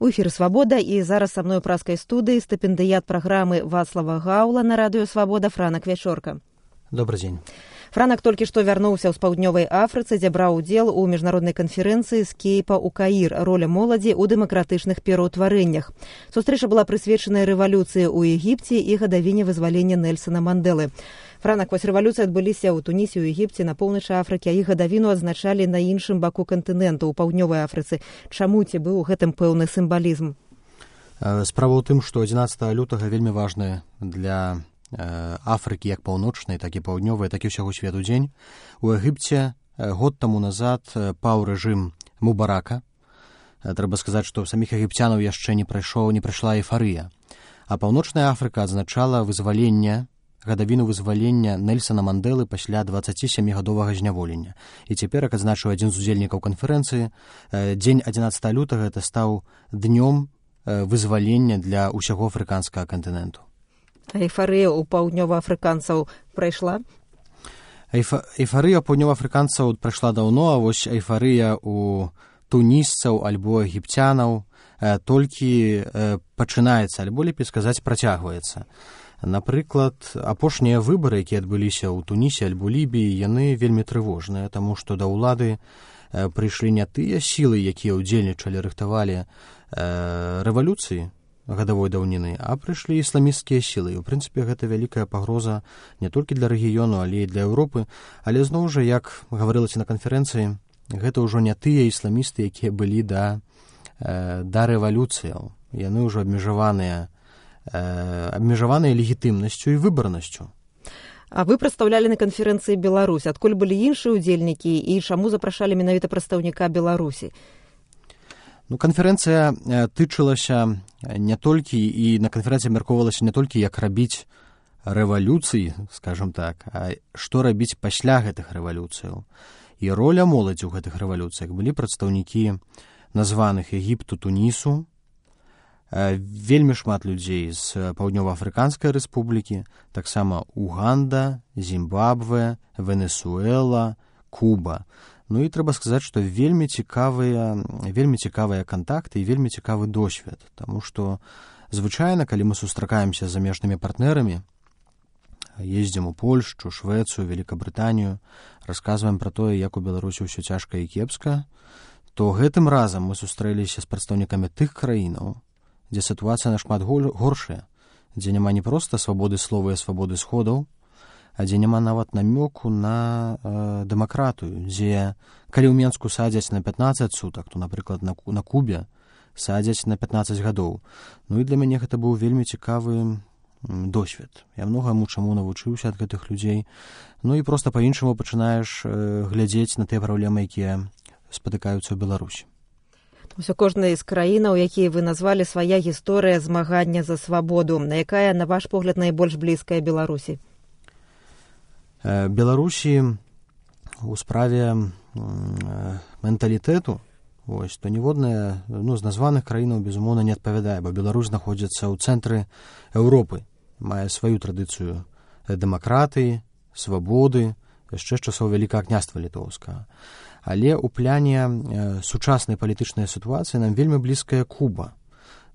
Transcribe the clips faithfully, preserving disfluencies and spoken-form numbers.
У эфіры «Свабода» і зараз са мной у праскай студыі стыпендыят праграмы Вацлава Гаўла на радыё «Свабода» Франак Вячорка. Добрый дзень. Франак толькі што вярнуўся з паўднёвай Афрыцы, дзе браў удзел у міжнароднай канферэнцыі з Кейпа ў Каір «Роля моладзі ў дэмакратычных пераўтварэннях». Сустрэча была прысвечаная рэвалюцыі ў Егіпце і гадавіне вызвалення Нельсана Мандэлы. Франак, вось рэвалюцыі адбыліся ў Тунісе, у Егіпце, на поўначы Афрыкі, а іх гадавіну адзначалі на іншым баку кантыненту, у паўднёвай Афрыцы. Чаму ці быў у гэтым пэўны сімвалізм? Справа ў тым, што адзінаццатага лютага вельмі важны для Афрыкі як паўночнай, так і паўднёвай, так і ўсяго свету дзень. У Егіпце год таму назад паў рэжым Мубарака. Трэба сказаць, што ў саміх егіпцянаў яшчэ не прайшоў, не прайшла эйфарыя. А паўночная Афрыка адзначала вызваленне гадавіну вызвалення Нельсана Мандэлы пасля дваццацісямігадовага зняволення. І цяпер, як адзначыў адзін з удзельнікаў канферэнцыі, дзень адзінаццатага лютага гэта стаў днём вызвалення для ўсяго афрыканскага кантыненту. А эйфарыя ў паўднёваафрыканцаў прайшла? Эйфа... Эйфарыя ў паўднёваафрыканцаў прайшла даўно, а вось эйфарыя ў тунісцаў альбо егіпцянаў толькі пачынаецца, альбо, лепей сказаць, працягваецца. Напрыклад, апошнія выбары, якія адбыліся ў Тунісе альбо Лібіі, яны вельмі трывожныя, таму што да ўлады прыйшлі не тыя сілы, якія ўдзельнічалі, рыхтавалі рэвалюцыі гадавой даўніны, а прыйшлі ісламісцкія сілы. І, у прынцыпе, гэта вялікая пагроза не толькі для рэгіёну, але і для Еўропы. Але зноў жа, як гаварылася на канферэнцыі, гэта ўжо не тыя ісламісты, якія былі да, да рэвалюцыяў. Яны ўжо абмежаваныя абмежаваныя легітымнасцю і выбарнасцю. А вы прадстаўлялі на канферэнцыі Беларусь. Адкуль былі іншыя ўдзельнікі і чаму запрашалі менавіта прадстаўніка Беларусі? Ну, канферэнцыя тычылася не толькі, і на канферэнцыі абмяркоўвалася не толькі, як рабіць рэвалюцыі, скажам так, а што рабіць пасля гэтых рэвалюцыяў. І роля моладзі ў гэтых рэвалюцыях. Былі прадстаўнікі названых Егіпту, Тунісу, вельмі шмат людзей з Паўднёва-Афрыканскай рэспублікі, таксама Уганда, Зімбабве, Венесуэла, Куба. Ну і трэба сказаць, што вельмі цікавыя, вельмі цікавыя кантакты і вельмі цікавы досвед, таму што звычайна, калі мы сустракаемся з замежнымі партнерамі, ездзім у Польшчу, Швецыю, Великабрытанію, расказваем пра тое, як у Беларусі ўсё цяжка і кепска, то гэтым разам мы сустрэліся з прадстаўнікамі тых краінаў, дзе сітуацыя нашмат горшая, дзе няма не проста свабоды слова і свабоды сходаў, а дзе няма нават намёку на э, дэмакратыю, дзе калі ў Менску садзяць на пятнаццаць сутак, то, напрыклад, на, на Кубе садзяць на пятнаццаць гадоў. Ну і для мяне гэта быў вельмі цікавы досвед. Я многаму чаму навучыўся ад гэтых людзей. Ну і проста па-іншаму пачынаеш э, глядзець на тыя праблемы, якія спатыкаюцца ў Беларусі. Усё кожная з краінаў, якія вы назвалі, свая гісторыя змагання за свабоду. Якая, на ваш погляд, найбольш блізкая Беларусі? Беларусі у справе менталітэту, ось, то ніводная, ну, з названых краінаў, безумоўна, не адпавядае, бо Беларусь знаходзіцца ў цэнтры Еўропы, мае сваю традыцыю дэмакратыі, свабоды, яшчэ з часоў Вялікага княства літоўскага. Але ў пляне э, сучаснай палітычнай сітуацыі нам вельмі блізкая Куба.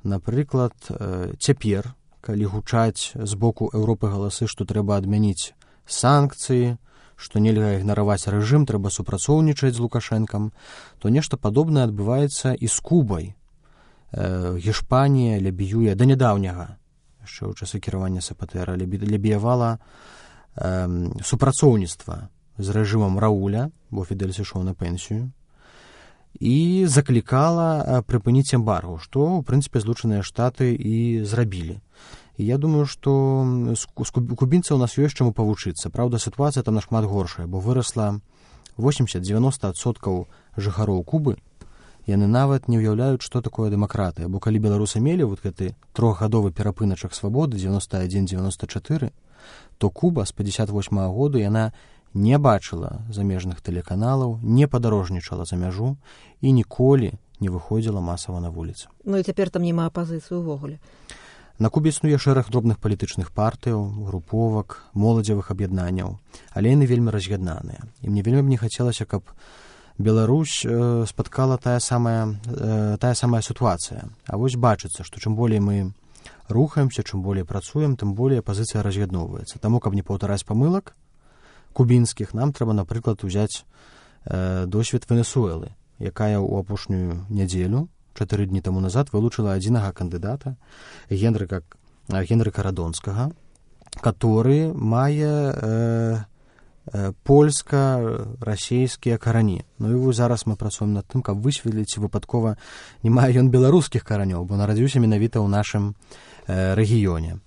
Напрыклад, э, цяпер, калі гучаць з боку Еўропы галасы, што трэба адмяніць санкцыі, што нельга ігнараваць рэжым, трэба супрацоўнічаць з Лукашэнкам, то нешта падобнае адбываецца і з Кубай. Э, Гішпанія лябіюе да нядаўняга, яшчэ ў часы кіравання СПТР, лябіявала э, супрацоўніцтва з рэжымам Рауля, бо Фідель сышоў на пенсію, і заклікала прыпыніць эмбарго, што, у прынцыпе, Злучаныя Штаты і зрабілі. І я думаю, што з кубінцаў у нас ёсць чаму павучыцца. Праўда, сітуацыя там нашмат горшая, бо вырасла восемьдесят-девяносто адсоткаў жыхароў Кубы, яны нават не ўяўляюць, што такое дэмакратыя. Бо калі беларусы мелі вот гэты трохгадовы перапыначак свабоды девяносто один девяносто четыре, то Куба з пятьдесят восьмага году яна не бачыла замежных тэлеканалаў, не падарожнічала за мяжу і ніколі не выходзіла масава на вуліцы. Ну і цяпер там няма апазіцыі ўвогуле. На Кубе існуе шэраг дробных палітычных партыяў, груповак, моладзевых аб'яднанняў, але яны вельмі раз'яднаныя. І мне вельмі б не хацелася, каб Беларусь э, спаткала тая самая, э, тая самая сітуацыя. А вось бачыцца, што чым болей мы рухаемся, чым болей працуем, тым болей пазіцыя раз'ядноўваецца. Таму, каб не паўтараць памылак кубінскіх, нам трэба, напрыклад, узяць э, досвед Венесуэлы, якая ў апошнюю нядзелю, чатыры дні таму назад, вылучыла адзінага кандыдата, Генрыка, Генрыка Радонскага, который мае э, э, польска-расійскія карані. Ну і зараз мы працуем над тым, каб высветліць, ці выпадкова не мае ён беларускіх каранёў, бо нарадзіўся менавіта ў нашым рэгіёне.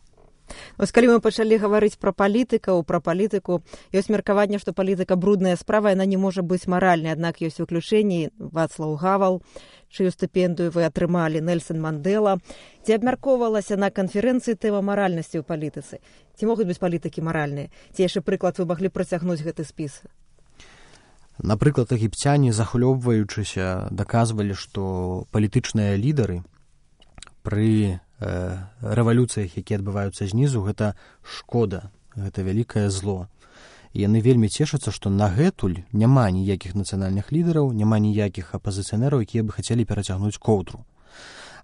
Вось калі мы пачалі гаварыць пра палітыкаў, пра палітыку, ёсць меркаванне, што палітыка брудная справа, яна не можа быць маральнай, аднак ёсць выключэнні. Вацлаў Гавал, чыю стыпендыю вы атрымалі, Нельсон Мандэла. Ці абмяркоўвалася на канферэнцыі тэма маральнасці ў палітыцы? Ці могуць быць палітыкі маральныя? Ці яшчэ прыклад вы маглі працягнуць гэты спіс? Напрыклад, егіпцяне, захлёбваючыся, даказвалі, што палітычныя лідары пры рэвалюцыях, якія адбываюцца знізу, гэта шкода, гэта вялікае зло. І яны вельмі цешацца, што нагэтуль няма ніякіх нацыянальных лідараў, няма ніякіх апазіцыянераў, якія бы хацелі перацягнуць коўдру.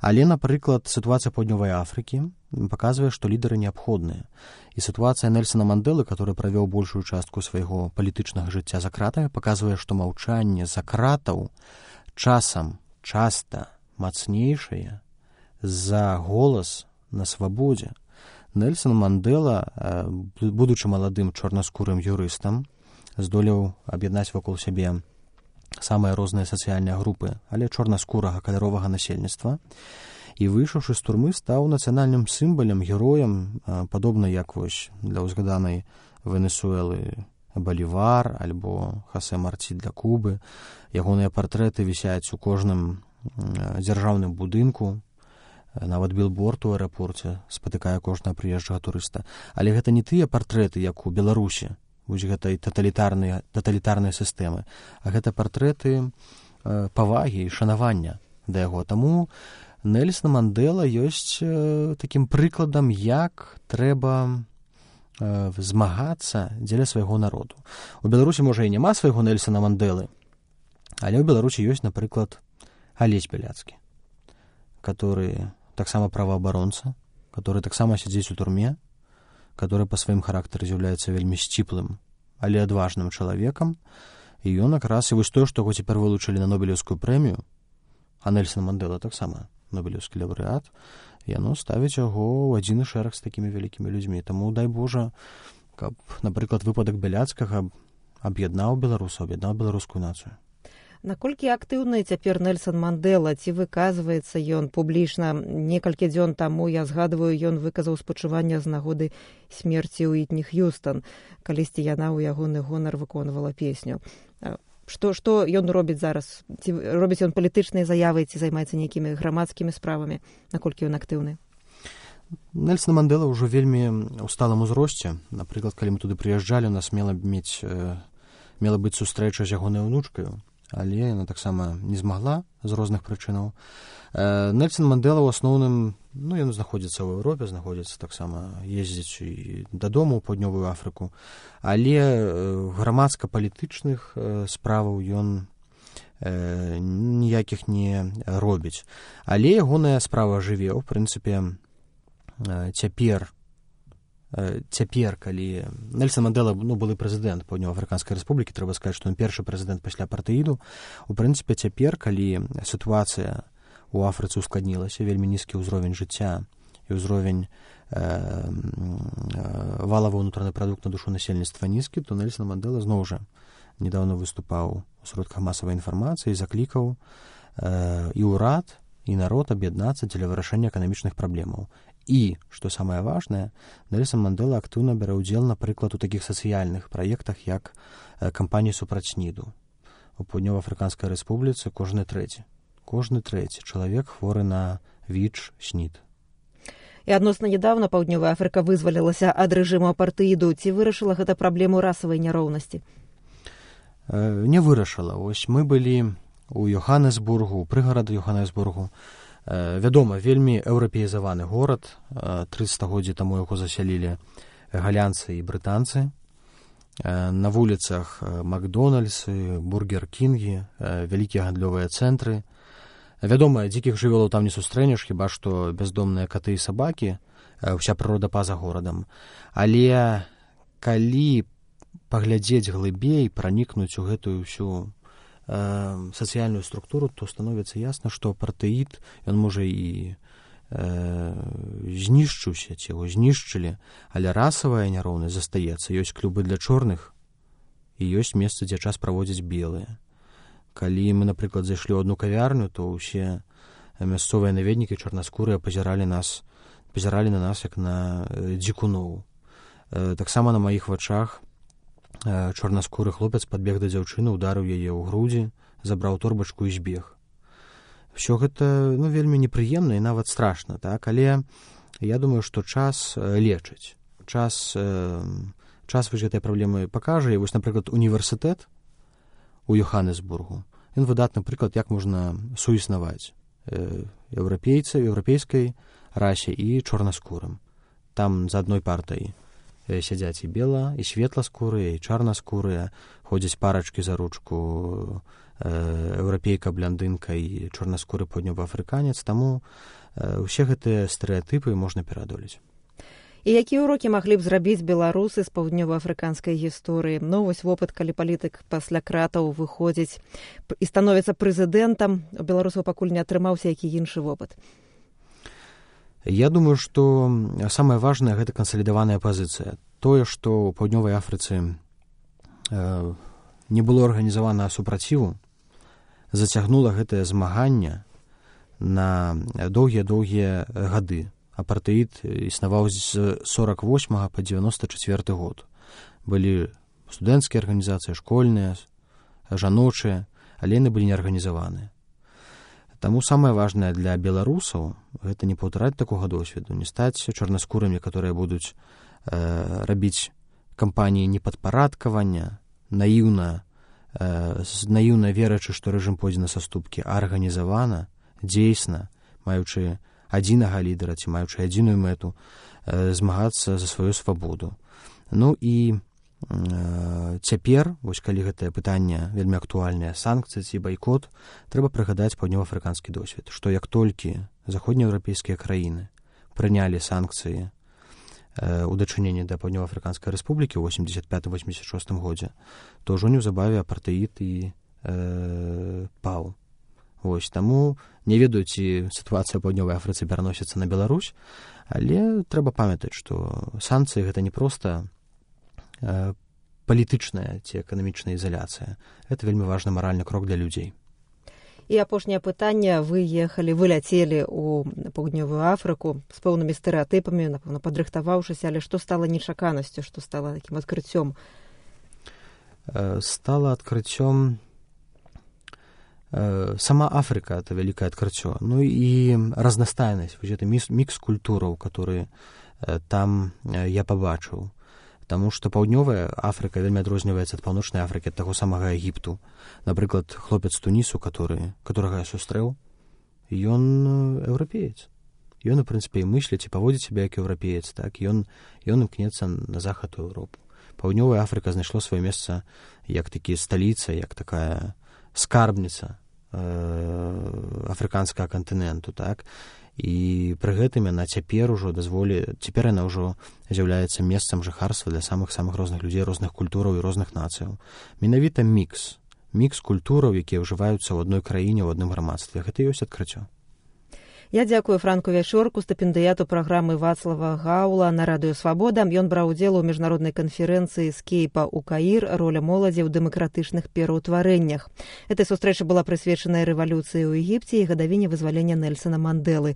Але, напрыклад, сітуацыя Паўднёвай Афрыкі паказвае, што лідары неабходныя. І сітуацыя Нельсона Мандэлы, который правёў большую частку свайго палітычнага жыцця за кратамі, паказвае, што маўчанне за кратаў часам часта мацнейшае за голас на свабодзе. Нельсон Мандэла, будучы маладым чорнаскурым юрыстам, здолеў аб'яднаць вакол сябе самыя розныя сацыяльныя групы, але чорнаскурага каляровага насельніцтва, і, выйшаўшы з турмы, стаў нацыянальным сімвалам, героем, падобна як вось для ўзгаданай Венесуэлы Балівар альбо Хосе Марці для Кубы. Ягоныя партрэты вісяць у кожным дзяржаўным будынку, нават білборд у аэрапорце спатыкае кожнага прыезджага турыста. Але гэта не тыя партрэты, як у Беларусі, вось гэтай таталітарнай, таталітарнай сістэмы, а гэта партрэты э, павагі і шанавання да яго. Таму Нельсон Мандэла ёсць э, такім прыкладам, як трэба э, змагацца дзеля свайго народу. У Беларусі, можа, і няма свайго Нельсона Мандэлы, але ў Беларусі ёсць, напрыклад, Алесь Бяляцкі, который таксама праваабаронца, который таксама сядзіць у турме, который па сваім характары з'яўляецца вельмі сціплым, але адважным чалавекам. І ён якраз, і вось тое, што яго цяпер вылучылі на Нобелеўскую прэмію, а Нельсон Мандэла таксама Нобелеўскі лаўрэат, яно ставіць яго ў адзіны шэраг з такімі вялікімі людзьмі. Таму, дай Божа, каб, напрыклад, выпадак Бяляцкага аб'яднаў беларусаў, аб'яднаў беларускую нацыю. Наколькі актыўны цяпер Нельсон Мандэла, ці выказваецца ён публічна? Некалькі дзён таму, я згадваю, ён выказаў спачуванне з нагоды смерці Уітні Х'юстан, калісьці яна ў ягоны гонар выконвала песню. Што, што ён робіць зараз? Ці робіць ён палітычныя заявы, ці займаецца нейкімі грамадскімі справамі? Наколькі ён актыўны? Нельсон Мандэла ўжо вельмі ў сталым узросце. Напрыклад, калі мы туды прыязджалі, у нас мела мець, мела быць сустрэча з ягонай унучкаю, але яна таксама не змагла з розных прычынаў. Нельсон Мандэла ў асноўным, ну, ён знаходзіцца ў Еўропе, знаходзіцца таксама, ездзіць і дадому ў Паўднёвую Афрыку, але грамадска-палітычных справаў ён ніякіх не робіць. Але ягоная справа жыве, ў прынцыпе, цяпер, цяпер, калі Нельсон Мандэла, ну, былы прэзідэнт Паўднёва-Афрыканскай рэспублікі, трэба сказаць, што ён першы прэзідэнт пасля апартэіду. У прынцыпе, цяпер, калі сітуацыя у Афрыцы ускладнілася, вельмі нізкі ўзровень жыцця і ўзровень э, валавы ўнутраны прадукт на душу насельніцтва нізкі, то Нельсон Мандэла зноў жа недавно выступаў у сродках масавай інфармацыі, заклікаў э, і ўрад, і народ аб'яднацца дзеля вырашэння эканамічных праблемаў. І, што самае важнае, Нельсон Мандэла актыўна бярэ ўдзел, напрыклад, у такіх сацыяльных праектах, як кампанія супраць СНІДу. У Паўднёва-Афрыканскай рэспубліцы кожны трэці. Кожны трэці чалавек хворы на ВІЧ, СНІД. І адносна нядаўна Паўднёвая Афрыка вызвалілася ад рэжыму апартэіду. Ці вырашыла гэта праблему расавай няроўнасці? Э, не вырашыла. Ось мы былі у Йоханнесбургу, у прыгараду Йоханнесбургу. Вядома, вельмі еўрапеізаваны горад, тры стагоддзі таму яго засялілі галянцы і брытанцы. на вуліцах Макдональдсы, Бургер-Кінгі, вялікія гандлёвыя цэнтры. Вядома, дзікіх жывёлаў там не сустрэнеш, хіба што бяздомныя каты і сабакі, ўся прырода па-за горадам. Але калі паглядзець глыбей, пранікнуць у гэтую ўсю э, сацыяльную структуру, то становіцца ясна, што апартэід, ён можа і э, знішчыўся, ці яго знішчылі, але расавая няроўнасць застаецца. Ёсць клубы для чорных і ёсць месцы, дзе час праводзяць белыя. Калі мы, напрыклад, зайшлі ў адну кавярню, то ўсе мясцовыя наведнікі чорнаскурыя пазіралі нас, пазіралі на нас як на дзікуноў. Таксама на маіх вачах чорнаскуры хлопец падбег да дзяўчыны, ударыў яе ў грудзі, забраў торбачку і збег. Всё гэта, ну, вельмі непрыемна і нават страшна, так? Але я думаю, што час лечыць. Час, час вось гэтай праблемы пакажа. І вось, напрыклад, універсітэт у Йоханнесбургу, ён выдатны прыклад, як можна суіснаваць еўрапейцы, еўрапейскай расе і чорнаскурым. Там за адной партай сядзяць і бела, і светласкурыя, і чарнаскурыя, ходзяць парачкі за ручку, еўрапейка, блондынка і чорнаскуры паўднёваафрыканец, таму ўсе гэтыя стэрэатыпы можна пераадолець. І якія ўрокі маглі б зрабіць беларусы з паўднёваафрыканскай гісторыі? Ну, вось вопыт, калі палітык пасля кратаў выходзіць і становіцца прэзідэнтам, у беларусаў пакуль не атрымаўся які іншы вопыт. Я думаю, што самае важнае гэта кансалідаваная пазіцыя. Тое, што ў паўднёвай Афрыцы э, не было арганізавана супраціву, зацягнула гэтае змаганне на доўгія-доўгія гады. Апартэід існаваў з сорак восьмага па дзевяноста чацвёрты год. Былі студэнцкія арганізацыі, школьныя, жаночыя, але яны былі неарганізаваныя. Таму самае важнае для беларусаў гэта не паўтараць такога досведу, не стаць чорнаскурымі, которые будуць э, рабіць кампаніі непадпарадкавання, наіўна, э, наіўна верачы, што рэжым пойдзе на саступкі, а арганізавана, дзейсна, маючы адзінага лідара ці маючы адзіную мэту, э, змагацца за сваю свабоду. Ну і э, цяпер, вось калі гэтае пытанне вельмі актуальнае, санкцыі ці байкот, трэба прыгадаць паўднёваафрыканскі досвед, што як толькі заходнееўрапейскія краіны прынялі санкцыі э, у дачыненні да паўднёваафрыканскай рэспублікі ў восемьдесят пятым восемьдесят шостым годзе, то ўжо неўзабаве апартэід і э, паў. Вось, таму не ведаю, ці сітуацыя ў паўднёвай Афрыцы пераносіцца на Беларусь, але трэба памятаць, што санкцыі гэта не проста э, палітычная ці эканамічная ізаляцыя. Гэта вельмі важны маральны крок для людзей. І апошняе пытанне. Вы ехалі, вы ляцелі ў паўднёвую Афрыку з пэўнымі стэрэатыпамі, напэўна, падрыхтаваўшыся, але што стала нечаканасцю, што стала такім адкрыццём? Э, стала адкрыццём сама Африка — это вялікае адкрыццё. Ну і разнастайнасць, вось гэта мікс культураў, которые там я пабачыў. Таму што паўднёвая Афрыка вельмі адрозніваецца ад паўночнай Афрыкі, ад таго самага Егіпту. Напрыклад, хлопец з Тунісу, который, которага я сустрэў, ён еўрапеец. Ён, у прынцыпе, і мысліць, і паводзіць сябе як еўрапеец, так? Ён, ён імкнецца на захад у Еўропу. Паўднёвая Афрыка знайшло сваё месца як такі сталіца, як такая скарбніца э, афрыканскага кантыненту, так? І пры гэтым яна цяпер ужо дазволі, цяпер яна ўжо з'яўляецца месцам жыхарства для самых-самых розных людзей, розных культураў і розных нацыяў. Менавіта мікс, мікс культураў, якія ўжываюцца ў адной краіне, ў адным грамадстве. Гэта і ёсць адкрыццё. Я дзякую Франку Вячорку, стыпендыяту праграмы Вацлава Гаула на радыё Свабода. Ён браў удзел у міжнароднай канферэнцыі з Кейпа ў Каір «Роля моладзі ў дэмакратычных пераўтварэннях». Этой сустрэча была прысвечаная рэвалюцыі ў Егіпце і гадавіне вызвалення Нельсона Мандэлы.